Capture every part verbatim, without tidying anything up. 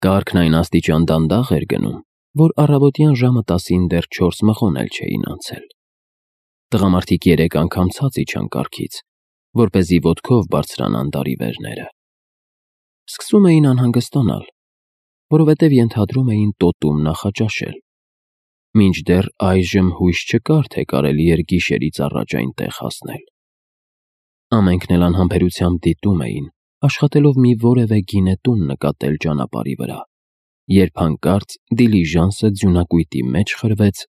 Կարգն այն աստիճան դանդաղ էր գնում, որ առավոտյան ժամը տասին դեռ չորս մղոն էլ չէին անցել։ Տղամարդիկ երեք անգամ ցած իջան կառքից, որպեսզի ոտքով բարձրանան դարի վերները։ Սկսում էին անհանգստանալ, որովհետև ենթադրում էին տոտում նախաճաշել։ Մինչդեռ այժմ հույս չկար, թե կարելի էր գիշերից առաջ այնտեղ հասնել։ Ամենքն էլ անհամբերությամբ դիտում էին, աշխատելով մի որևէ գինետուն նկատել ճանապարհի վրա, երբ հանկարծ դիլիժանսը ձյունակույտի մեջ խրվեց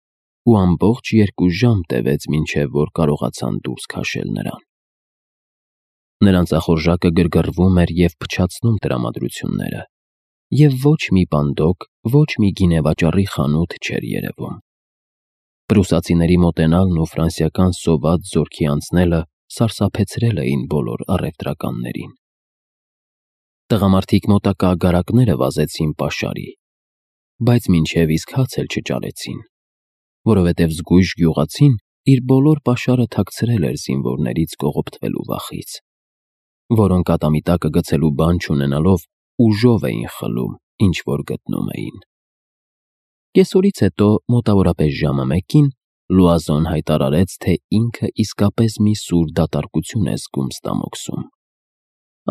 ու ամբողջ երկու ժամ տևեց, մինչև որ կարողացան դուրս քաշել նրան։ Նրանց ախորժակը գրգռվում էր և փչացնում տրամադրությունները, և ոչ մի պանդոկ, ոչ մի գինեվաճառի խանութ չէր երևում։ Պրուսացիների մոտենալն ու ֆրանսիական սոված զորքի անցնելը սարսափեցրել էին բոլոր առևտրականներին։ Տղամարդիկ մոտակա ագարակները վազեցին պաշարի, բայց մինչև իսկ հաց էլ չճարեցին, որովհետև զգույշ գյուղացին իր բոլոր պաշարը թաքցրել էր զինվորներից կողոպտվելու վախից, որոնք ատամի տակը գցելու բան չունենալով ուժով էին խլում, ինչ որ գտնում էին։ Կեսօրից հետո, մոտավորապես ժամը մեկին, Լուազոն հայտարարեց, թե ինքը իսկապես մի սուր դատարկություն է զգում ստամոքսում։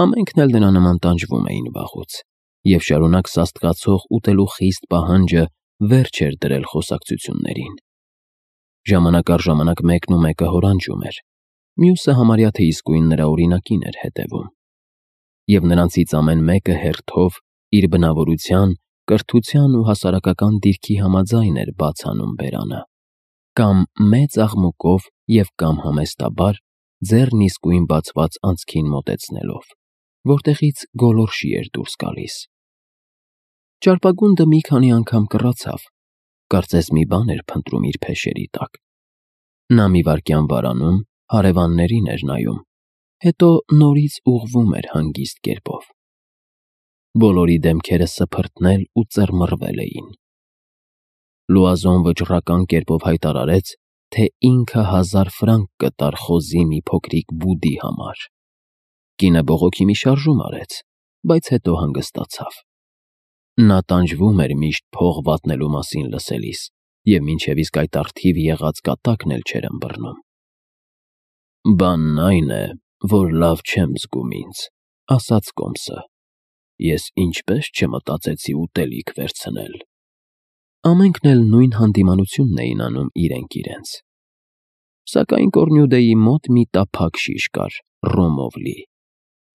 Ամենքն էլ նրա նման տանջվում էին վաղուց, և շարունակ սաստկացող ուտելու խիստ պահանջը վերջ էր դրել խոսակցություններին։ Ժամանակ առ ժամանակ մեկն ու մեկը հորանջում էր, մյուսը համարյա թե իսկույն նրա օրինակին էր հետևում, և նրանցից ամեն մեկը հերթով իր բնավորության, կրթության ու հասարակական դիրքի համաձայն էր բաց անում բերանը, կամ մեծ աղմուկով և կամ համեստաբար ձեռն իսկույն բացված անցքին մոտեցնելով, որտեղից գոլորշի էր դուրս գալիս։ Ճարպագունդը մի քանի անգամ կռացավ, կարծես մի բան էր փնտրում իր փեշերի տակ։ Նա մի վայրկյան վարանում, հարևաններին էր նայում, հետո նորից ուղղվում էր հանգիստ կերպով։ Բոլորի դեմքերը սփռթնել ու ծռմռվել էին։ Լուազոն վճռական կերպով հայտարարեց, թե ինքը հազար ֆրանկ կտար խոզի մի փոքրիկ բուդի համար։ Կինը բողոքի մի շարժում արեց, բայց հետո հանգստացավ։ Նա տանջվում էր միշտ փող վատնելու մասին լսելիս, և մինչև իսկ այդ առթիվ եղած կատակն էլ չէր ըմբռնում։ «Բանն այն է, որ լավ չեմ զգում ինձ», ֊ ասաց կոմսը։ «Ես ինչպե՞ս չմտածեցի ուտելիք վերցնել»։ Ամենքն էլ նույն հանդիմանությունն էին անում իրենք իրենց։ Սակայն Կոռնյուդեի մոտ մի տափակ շիշ կար, ռոմով լի։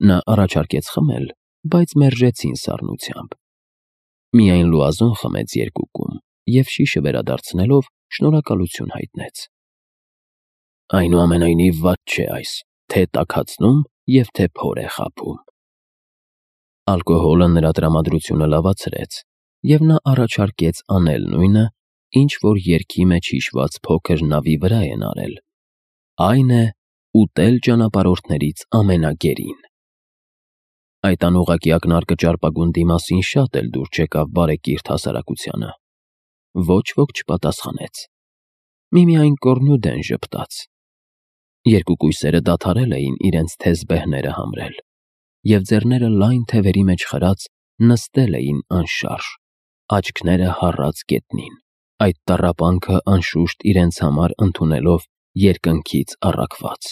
Նա առաջարկեց խմել, բայց մերժեցին սառնությամբ։ Միայն Լուազոն խմեց երկու կում և շիշը վերադարձնելով շնորհակալություն հայտնեց։ «Այնուամենայնիվ վատ չէ այս, թե տաքացնում և թե փոր է խաբում»։ Ալկոհոլը նրա տրամադրությունը լավացրեց, և նա առաջարկեց անել նույնը, ինչ որ երգի մեջ հիշված փոքր նավի վրա են արել, այն է՝ ուտել ճանապարհորդներից ամենագերին։ Այդ անուղղակի ակնարկը ճարպագունդի մասին շատ էլ դուր չեկավ բարեկիրթ հասարակությանը։ Ոչ ոք չպատասխանեց։ Միմիայն Կոռնյուդեն ժպտաց։ Երկու կույսերը դադարել էին իրենց թեզ բեհները համրել, և ձեռները լայն թևերի մեջ խրած նստել էին անշարժ, աչքները հառած գետնին, այդ տառապանքը անշուշտ իրենց համար ընդունելով երկնքից առաքված։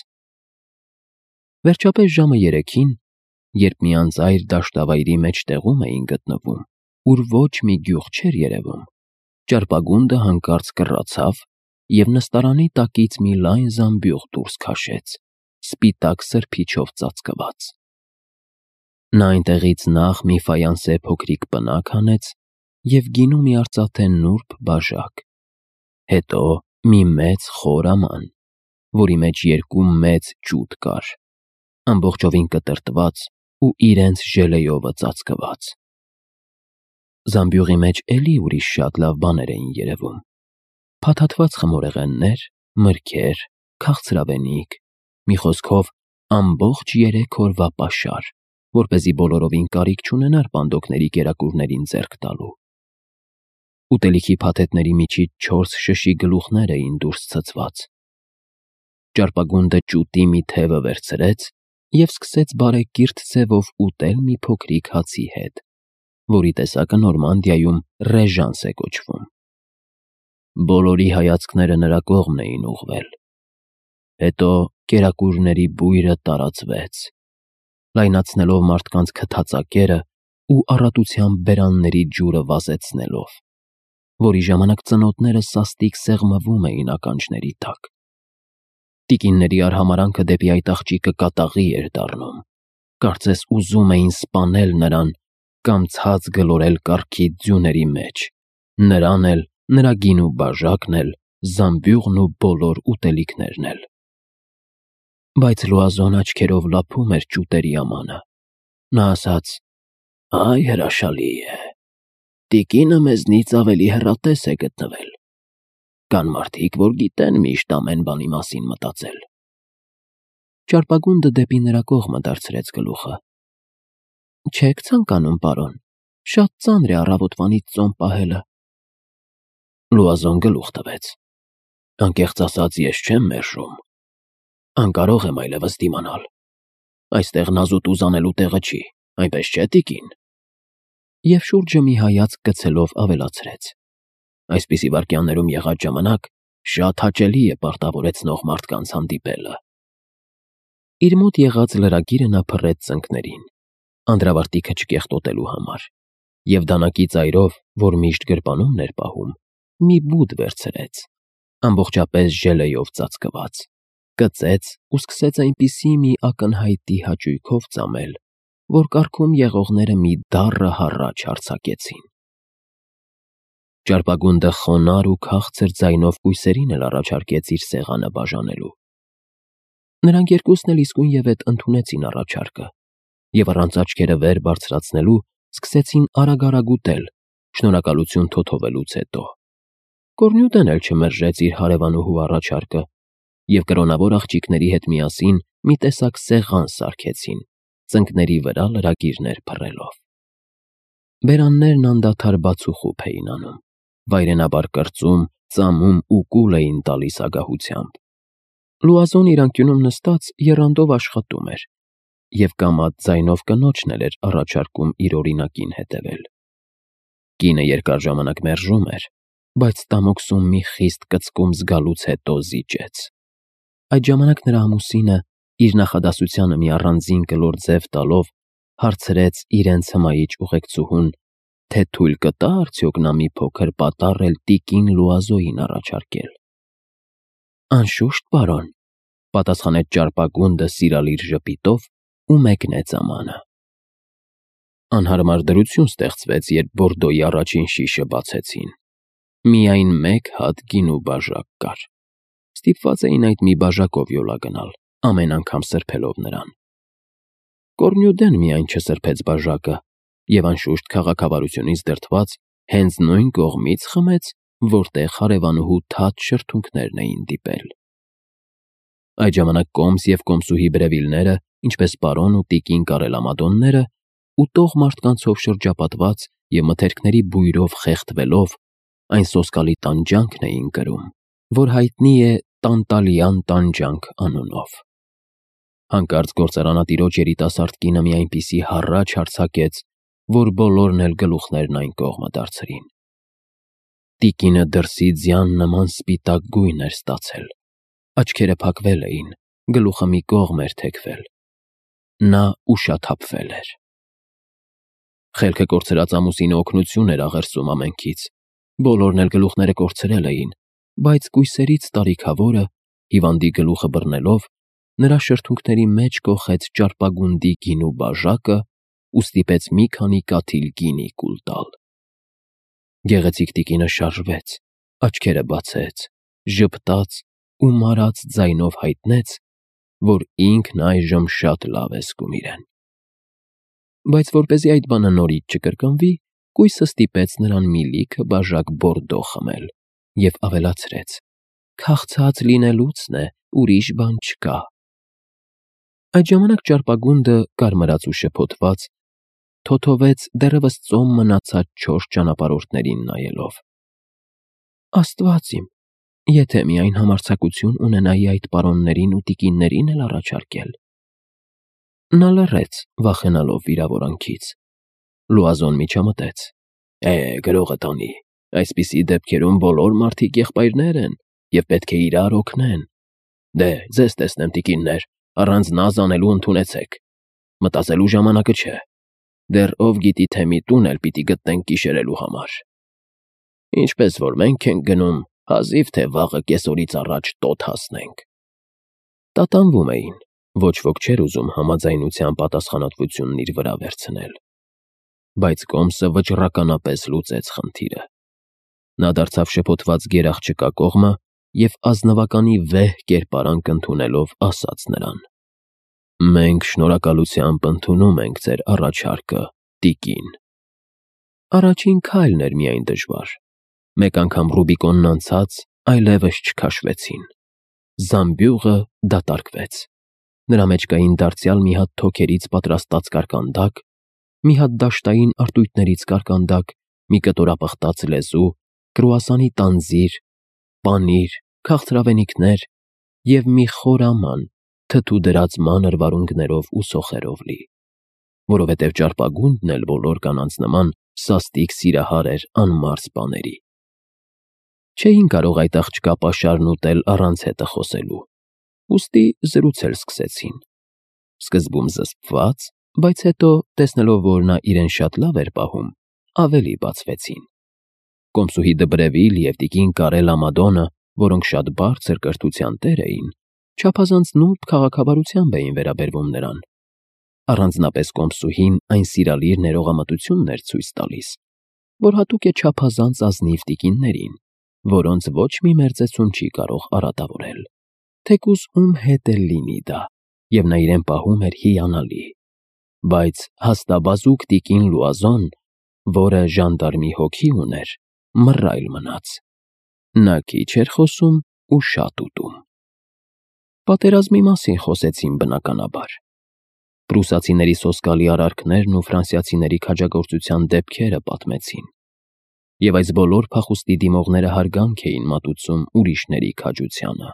Վերջապես ժամը երեքին, երբ մի անծայր դաշտավայրի մեջտեղում էին գտնվում, ուր ոչ մի գյուղ չէր երևում, ճարպագունդը հանկարծ կռացավ և նստարանի տակից մի լայն զամբյուղ դուրս քաշեց, սպիտակ սրբիչով ծածկված։ Նա այնտեղից նախ մի ֆայանսե փոքրիկ պնակ հանեց և գինու մի արծաթե նուրբ բաժակ, հետո մի մեծ խոր աման, որի մեջ երկու մեծ ջութ կար, ամբողջովին կտրտված ու իրենց ժելեյովը ծածկված։ Զամբյուղի մեջ էլի ուրիշ շատ լավ բաներ էին երևում. փաթաթված խմորեղեններ, մրգեր, քաղցրավենիք, մի խոսքով, ամբողջ երեք օրվա պաշար, որպեսզի բոլորովին կարիք չունենար պանդոկների կերակուրներին ձեռք տալու։ Ուտելիքի փաթեթների միջից չորս շշի գլուխներ էին դուրս ցցված։ Ճարպագունդը ջութի մի թևը վերցրեց և սկսեց բարեկիրթ ձևով ուտել մի փոքրիկ հացի հետ, որի տեսակը Նորմանդիայում ռեժանս է կոչվում։ Բոլորի հայացքները նրա կողմն էին ուղղվել։ Հետո կերակուրների բույրը տարածվեց, լայնացնելով մարդկանց քթածակերը ու առատության բերանների ջուրը վազեցնելով, որի ժամանակ ծնոտները սաստիկ սեղմվում էին ականջների տակ։ Տիկինների արհամարանքը դեպի այդ աղջիկը կատաղի էր դառնում, կարծես ուզում էին սպանել նրան կամ ցած գլորել կառքի ձյուների մեջ, նրան էլ, նրա գինու բաժակն էլ, զամբյուղն ու բոլոր ուտելիքներն էլ։ Բայց Լուազոն աչքերով լափում էր ճուտերի ամանը։ Նա ասաց. «Այ հրաշալի է, տիկինը մեզնից ավելի հեռատես է գտնվել։ Կան մարդիկ, որ գիտեն միշտ ամեն բանի մասին մտածել»։ Ճարպագունդը դեպի նրա կողմը դարձրեց գլուխը։ «Չեք ցանկանում, պարոն, շատ ծանր է առավոտվանից ծոմ պահելը»։ Լուազոն գլուխ տվեց։ «Անկեղծ ասած, ես չեմ մերժում։ Անկարող եմ այլևս դիմանալ։ Այստեղ նազուտ ուզանելու տեղը չի, այնպես չէ, տիկին»։ Եվ շուրջը մի հայացք գցելով ավելացրեց. «Այսպիսի վայրկյաններում եղած ժամանակ շատ հաճելի է պարտավորեցնող մարդկանց հանդիպելը»։ Իր մոտ եղած լրագիրը նա փռեց ծնկներին, անդրավարտիքը չկեղտոտելու համար, և դանակի ծայրով, որ միշտ գրպանումն էր պահում, մի բուդ վերցրեց, ամբողջապես ժելեյով ծածկված, կծեց ու սկսեց այնպիսի մի ակնհայտի հաճույքով ծամել, որ կառքում եղողները մի դառը հառաչ արձակեցին։ Ճարպագունդը խոնարհ ու քաղցր ձայնով կույսերին էլ առաջարկեց իր սեղանը բաժանելու։ Նրանք երկուսն էլ իսկույնևեթ ընդունեցին առաջարկը և առանց աչքերը վեր բարձրացնելու սկսեցին արագ-արագ ուտել, շնորհակալություն թոթովելուց հետո։ Կոռնյուդեն էլ չմերժեց իր հարևանուհու առաջարկը, և կրոնավոր աղջիկների հետ միասին մի տեսակ սեղան սարքեցին, ծնկների վրա լրագիրներ փռելով։ Բերաններն անդադար բաց ու խուփ էին անում, վայրենաբար կրծում, ծամում ու կուլ էին տալիս ագահությամբ։ Լուազոն իր անկյունում նստած եռանդով աշխատում էր և կամաց ձայնով կնոջն էլ էր առաջարկում իր օրինակին հետևել։ Կինը երկար ժամանակ մերժում էր, բայց ստամոքսում մի խիստ կծկում զգալուց հետո զիջեց։ Այդ ժամանակ նրա ամուսինը, իր նախադասությանը մի առանձին կլոր ձև տալով, հարցրեց իրենց հմայիչ ուղեկցուհուն, թե թույլ կտա արդյոք նա մի փոքր պատառ էլ տիկին Լուազոյին առաջարկել։ «Անշուշտ, պարոն», պատասխանեց ճարպագունդը սիրալիր ժպիտով ու մեկնեց ամանը։ Անհարմար դրություն ստեղծվեց, երբ Բորդոյի առաջին շիշը բացեցին։ Միայն մեկ հատ գինու բաժակ կար։ Ստիպված էին այդ մի բաժակով յոլա գնալ, ամեն անգամ սրբելով նրան։ Կոռնյուդեն միայն չսրբեց բաժակը և, անշուշտ, քաղաքավարությունից դրդված, հենց նույն կողմից խմեց, որտեղ հարևանուհու թաց շրթունքներն էին դիպել։ Այդ ժամանակ կոմս և կոմսուհի Բրևիլները, ինչպես պարոն ու տիկին Կարելամադոնները, ուտող մարդկանցով շրջապատված և մթերքների բույրով խեղդվելով, այն սոսկալի տանջանքն էին կրում, որ հայտնի է Տանտալյան տանջանք անունով։ Հանկարծ գործարանատիրոջ երիտասարդ կինը մի այնպիսի հառաչ արձակեց, որ բոլորն էլ գլուխներն այն կողմը դարձրին։ Տիկինը դրսի ձյան նման սպիտակ գույն էր ստացել, աչքերը փակվել էին, գլուխը մի կողմ էր թեքվել։ Նա ուշաթափվել էր։ Խելքը կորցրած ամուսինը օգնություն էր աղերսում ամենքից, բոլորն էլ գլուխները կորցրել էին, բայց կույսերից տարիքավորը, հիվանդի գլուխը բռնելով, նրա շրթունքների մեջ կոխեց ճարպագունդի գինու բաժակը ու ստիպեց մի քանի կաթիլ գինի կուլ տալ։ Գեղեցիկ տիկինը շարժվեց, աչքերը բացեց, ժպտաց ու մարած ձայնով հայտնեց, որ ինքն այժմ շատ լավ է զգում իրեն։ Բայց որպեսզի այդ բանը նորից չկրկնվի, կույսը ստիպեց նրան մի լիքը բաժակ Բորդո խմել և ավելացրեց. «Քաղցած լինելուցն է, ուրիշ բան չկա»։ Այդ ժամանակ ճարպագունդը, կարմրած ու շփոթված, թոթովեց դեռևս ծոմ մնացած չորս ճանապարհորդներին նայելով. «Աստված իմ, եթե միայն համարձակություն ունենայի այդ պարոններին ու տիկիններին էլ առաջարկել»։ Նա լռեց, վախենալով վիրավորանքից։ Լուազոն միջամտեց. Է, գրողը տանի, այսպիսի դեպքերում բոլոր մարդիկ եղբայրներ են և պետք է իրար օգնեն։ Դե, ձեզ տեսնեմ, տիկիններ, առանց նազ անելու ընդունեցեք, մտածելու ժամանակը չէ, դեռ ով գիտի թե մի տուն էլ պիտի գտնենք կիշերելու համար։ Ինչպես որ մենք ենք գնում, հազիվ թե վաղը կեսօրից առաջ տոտ հասնենք։ Տատանվում էին, ոչ ոք չէր ուզում համաձայնության պատասխանատվությունն իր վրա վերցնել։ Բայց Կոմսը վճռականապես լուծեց խնդիրը։ Նա դարձավ շփոթված գերաղջկա կողմը և ազնվականի վեհ կերպարանք ընդունելով ասաց նրան. Մենք շնորհակալությամբ ընդունում ենք ձեր առաջարկը, տիկին։ Առաջին քայլն էր միայն դժվար։ Մեկ անգամ Ռուբիկոնն անցած, այլևս չքաշվեցին։ Զամբյուղը դատարկվեց։ Նրա մեջ կային դարձյալ մի հատ թոքերից պատրաստած կարկանդակ, մի հատ դաշտային արտույտներից կարկանդակ, մի կտորապխտած լեզու, կրուասանի տանձիր, պանիր, քաղցրավենիքներ և մի խոր աման, թթու դրած մանր վարունգներով ու սոխերով լի, որովհետև ճարպագունդն էլ բոլոր կանանց նման սաստիկ սիրահար էր անմարս բաների։ Չէին կարող այդ աղջկա պաշարն ուտել առանց հետը խոսելու, ուստի զրուցել սկսեցին։ Սկզբում զսպված, բայց հետո, տեսնելով, որ նա իրեն շատ լավ էր պահում, ավելի բացվեցին։ Կոմսուհի Դբրևիլ և տիկին Կարել Ամադոնը, որոնք շատ բարձր կրթության տեր էին, չափազանց նուրբ քաղաքավարությամբ էին վերաբերվում նրան։ Առանձնապես Կոմսուհին այն սիրալիր ներողամտությունն էր ցույց տալիս, որ հատուկ է չափազանց ազնիվ տիկիններին, որոնց ոչ մի մերձեցում չի կարող արատավորել, թեկուզ ում հետ էլ լինի դա, և նա իրեն պահում էր հիանալի։ Բայց հաստաբազուկ տիկին Լուազոն, որը ժանդարմի հոգի ուներ, մռայլ մնաց։ Նա քիչ էր խոսում ու շատ ուտում։ Պատերազմի մասին խոսեցին բնականաբար։ Պրուսացիների սոսկալի արարքներն ու ֆրանսիացիների քաջագործության դեպքերը պատմեցին։ Եվ այս բոլոր փախուստի դիմողները հարգանք էին մատուցում ուրիշների քաջությանը։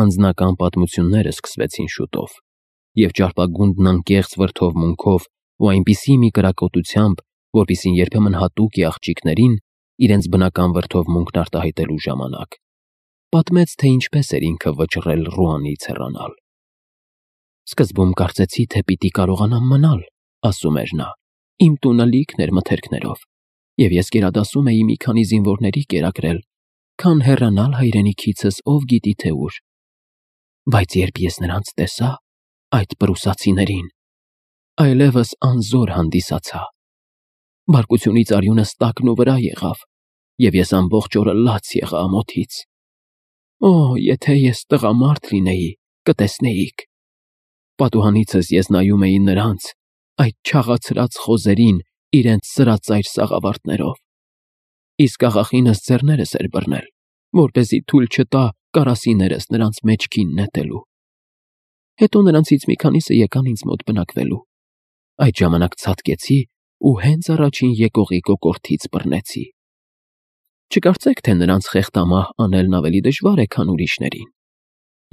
Անձնական պատմությունները սկսվեցին շուտով, և ճարպագունդն անկեղծ վրդովմունքով ու այնպիսի մի կրակոտությամբ, որպիսին երբեմն հատուկ է աղջիկներին իրենց բնական վրդովմունքն արտահայտելու ժամանակ, պատմեց, թե ինչպես էր ինքը վճռել Ռուանից հեռանալ։ Սկզբում կարծեցի, թե պիտի կարողանամ մնալ, ասում էր նա, իմ տունը լիքն էր մթերքներով, և ես գերադասում էի մի քանի զինվորների կերակրել, քան հեռանալ հայրենիքիցս ով գիտի թե ուր։ Բայց երբ ես նրանց տեսա, այդ պրուսացիներին, այլևս անզոր հանդիսացա։ Բարկությունից արյունս տակն ու վրա եղավ, և ես ամբողջ օրը լաց եղա ամոթից։ Օ, եթե ես տղամարդ լինեի, կտեսնեիք։ Պատուհանիցս ես նայում էի նրանց, այդ չաղացրած խոզերին իրենց սրածայր սաղավարտներով։ Իսկ աղախինս ձեռներս էր բռնել, որպեսզի թույլ չտա կարասիներս նրանց մեջքին նետելու։ Հետո նրանցից մի քանիսը եկան ինձ մոտ բնակվելու։ Այդ ժամանակ ցատկեցի ու հենց առաջին եկողի կոկորդից բռնեցի։ Չկարծեք, թե նրանց խեղդամահ անելն ավելի դժվար է, քան ուրիշներին։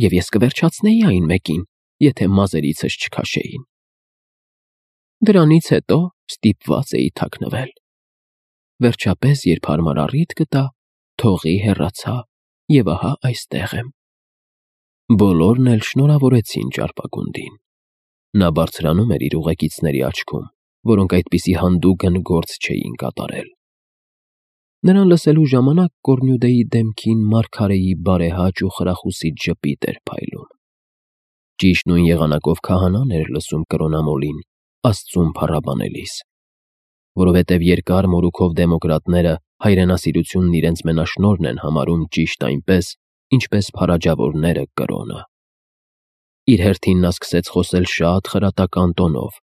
Եվ ես կվերջացնեի այն մեկին, եթե մազերիցս չքաշեին։ Դրանից հետո ստիպված էի թաքնվել։ Վերջապես, երբ հարմար առիթ գտա, թողի հեռացա, և ահա այստեղ եմ։ Բոլորն էլ շնորհավորեցին ճարպագունդին։ Նա բարձրանում էր իր ուղեկիցների աչքում, որոնք այդպիսի հանդուգն գործ չէին կատարել։ Նրան լսելու ժամանակ Կոռնյուդեի դեմքին մարգարեի բարեհաճ ու խրախուսիչ ժպիտ էր փայլում։ Ճիշտ նույն եղանակով քահանան էր լսում կրոնամոլին, Աստծուն փառաբանելիս, որովհետև երկար մորուքով դեմոկրատները հայրենասիրությունն իրենց մենաշնորհն են համարում ճիշտ այնպես, ինչպես փարաջավորները կրոնը։ Իր հերթին նա սկսեց խոսել շատ խրատական տոնով,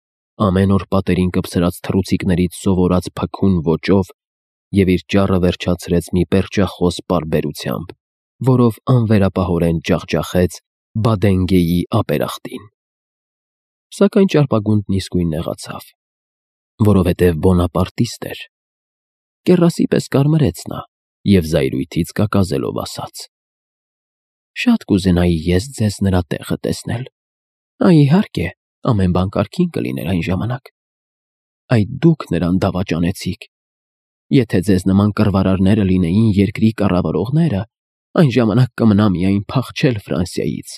ամեն օր պատերին կպցրած թռուցիկներից սովորած փքուն ոճով և իր ճառը վերջացրեց մի պերճախոս պարբերությամբ, որով անվերապահորեն ջախջախեց Բադենգեի ապերախտին։ Սակայն ճարպագունդն իսկույն նեղացավ, որովհետև բոնապարտիստ էր։ Կեռասի պես կարմրեց նա և զայրույթից կակազելով ասաց. Շատ կուզենայի ես ձեզ նրա տեղը տեսնել։ Այ իհարկե, ամեն բան կարգին կլիներ այն ժամանակ։ Այդ դուք նրան դավաճանեցիք։ Եթե ձեզ նման կռվարարները լինեին երկրի կառավարողները, այն ժամանակ կմնա միայն փախչել Ֆրանսիայից։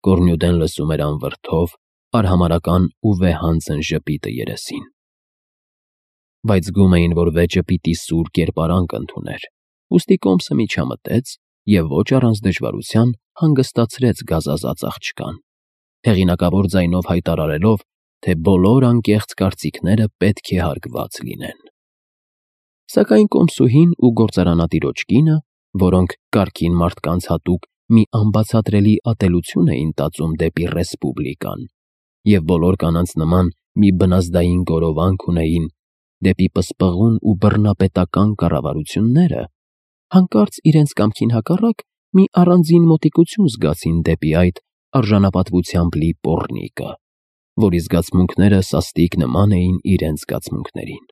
Կորնյուդեն լսում էր անվրդով, արհամարհական ու վեհանձն ժպիտը երեսին։ Բայց զգում էին, որ վեճը պիտի սուր կերպարանք ընդուներ, ուստի կոմսը միջամտեց և ոչ առանց դժվարության հանգստացրեց գազազած աղջկան, հեղինակավոր ձայնով հայտարարելով, թե բոլոր անկեղծ կարծիքները պետք է հարգված լինեն։ Սակայն կոմսուհին ու գործարանատիրոջ կինը, որոնք կարգին մարդկանց հատուկ մի անբացատրելի ատելություն էին տածում դեպի Ռեսպուբլիկան և բոլոր կանանց նման մի բնազդային գորովանք ունեին դեպի պսպղուն ու բռնապետական կառավարությունները, հանկարծ իրենց կամքին հակառակ մի առանձին մոտիկություն զգացին դեպի այդ արժանապատվությամբ լի պոռնիկը, որի զգացմունքները սաստիկ նման էին իրենց զգացմունքներին։